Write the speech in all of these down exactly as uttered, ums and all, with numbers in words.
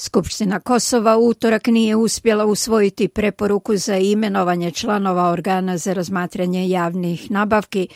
Skupština Kosova u utorak nije uspjela usvojiti preporuku za imenovanje članova organa za razmatranje javnih nabavki,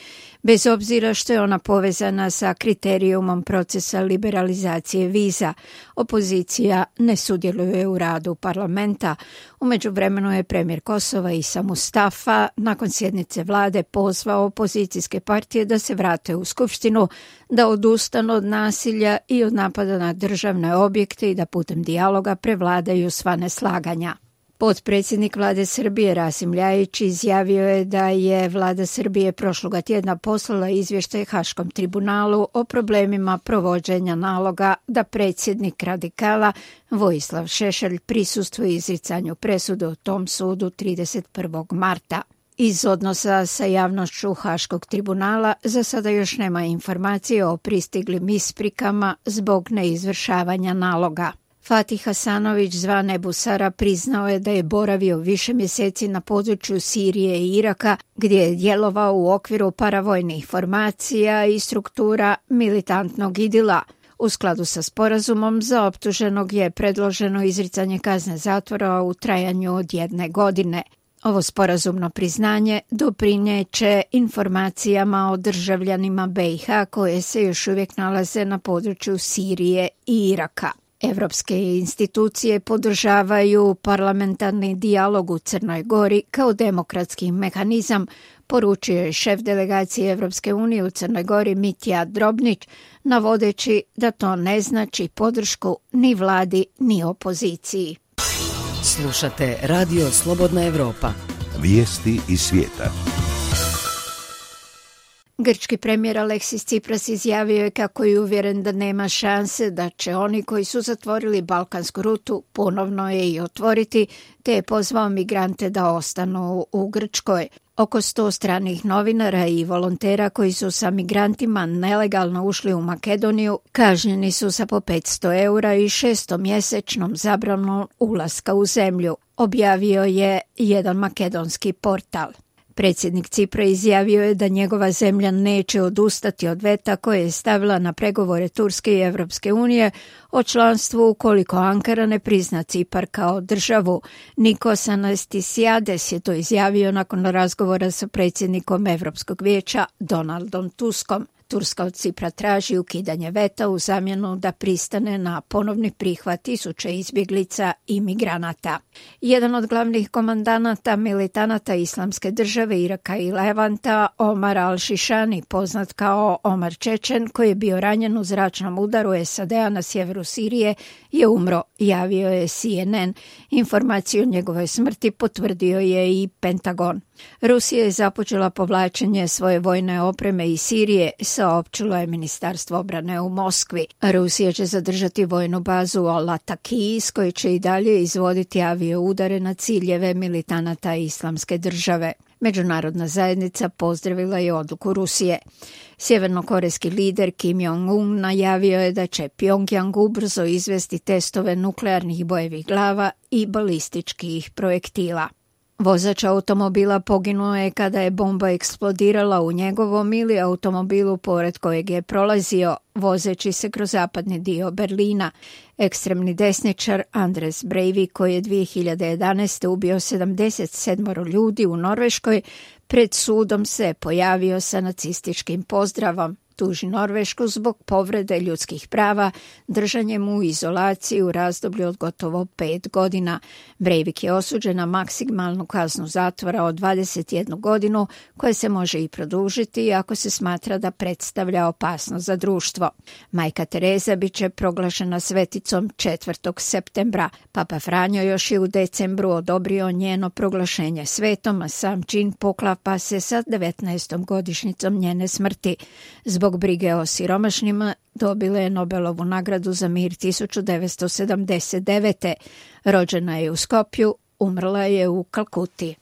bez obzira što je ona povezana sa kriterijumom procesa liberalizacije viza. Opozicija ne sudjeluje u radu parlamenta. U međuvremenu je premijer Kosova Isa Mustafa nakon sjednice vlade pozvao opozicijske partije da se vrate u skupštinu, da odustanu od nasilja i od napada na državne objekte i da putem dijaloga prevladaju sva neslaganja. Potpredsjednik vlade Srbije Rasim Ljajić izjavio je da je vlada Srbije prošloga tjedna poslala izvještaj Haškom tribunalu o problemima provođenja naloga da predsjednik radikala Vojislav Šešelj prisustvuje izricanju presude u tom sudu trideset prvog marta. Iz odnosa sa javnošću Haškog tribunala za sada još nema informacije o pristiglim isprikama zbog neizvršavanja naloga. Fatih Hasanović zvan Ebu Sara priznao je da je boravio više mjeseci na području Sirije i Iraka, gdje je djelovao u okviru paravojnih formacija i struktura militantnog idila. U skladu sa sporazumom za optuženog je predloženo izricanje kazne zatvora u trajanju od jedne godine. Ovo sporazumno priznanje doprinijeće informacijama o državljanima be i ha koje se još uvijek nalaze na području Sirije i Iraka. Evropske institucije podržavaju parlamentarni dijalog u Crnoj Gori kao demokratski mehanizam, poručio je šef delegacije Evropske unije u Crnoj Gori Mitja Drobnić, navodeći da to ne znači podršku ni vladi ni opoziciji. Slušate Radio Slobodna Evropa. Vijesti iz svijeta. Grčki premijer Aleksis Tsipras izjavio je kako je uvjeren da nema šanse da će oni koji su zatvorili balkansku rutu ponovno je i otvoriti, te je pozvao migrante da ostanu u Grčkoj. Oko sto stranih novinara i volontera koji su sa migrantima nelegalno ušli u Makedoniju kažnjeni su sa po petsto eura i šestomjesečnom zabranom ulaska u zemlju, objavio je jedan makedonski portal. Predsjednik Cipra izjavio je da njegova zemlja neće odustati od veta koje je stavila na pregovore Turske i Evropske unije o članstvu ukoliko Ankara ne prizna Cipar kao državu. Nikos Anastasiades je to izjavio nakon razgovora sa predsjednikom Evropskog vijeća Donaldom Tuskom. Turska od Cipra traži ukidanje veta u zamjenu da pristane na ponovni prihvat tisuća izbjeglica i migranata. Jedan od glavnih komandanata militanata Islamske države Iraka i Levanta, Omar al-Šišani, poznat kao Omar Čečen, koji je bio ranjen u zračnom udaru es a de a na sjeveru Sirije, je umro, javio je C N N. Informaciju o njegovoj smrti potvrdio je i Pentagon. Rusija je započela povlačenje svoje vojne opreme iz Sirije, saopćilo je Ministarstvo obrane u Moskvi. Rusija će zadržati vojnu bazu Al-Ataki, iz koje će i dalje izvoditi avio udare na ciljeve militanata Islamske države. Međunarodna zajednica pozdravila je odluku Rusije. Sjevernokorejski lider Kim Jong-un najavio je da će Pjongjang ubrzo izvesti testove nuklearnih bojevih glava i balističkih projektila. Vozač automobila poginuo je kada je bomba eksplodirala u njegovom ili automobilu pored kojeg je prolazio, vozeći se kroz zapadni dio Berlina. Ekstremni desničar Anders Breivik, koji je dvije hiljade jedanaeste. ubio sedamdeset sedam ljudi u Norveškoj, pred sudom se pojavio sa nacističkim pozdravom. Tuži Norvešku zbog povrede ljudskih prava, držanjem u izolaciji u razdoblju od gotovo pet godina. Breivik je osuđen na maksimalnu kaznu zatvora od dvadeset jednu godinu, koja se može i produžiti ako se smatra da predstavlja opasnost za društvo. Majka Tereza bit će proglašena sveticom četvrtog septembra. Papa Franjo još je u decembru odobrio njeno proglašenje svetom, a sam čin poklapa se sa devetnaestom godišnjicom njene smrti. Zbog brige o siromašnima dobila je Nobelovu nagradu za mir tisuću devetsto sedamdeset devete. Rođena je u Skopju, umrla je u Kalkuti.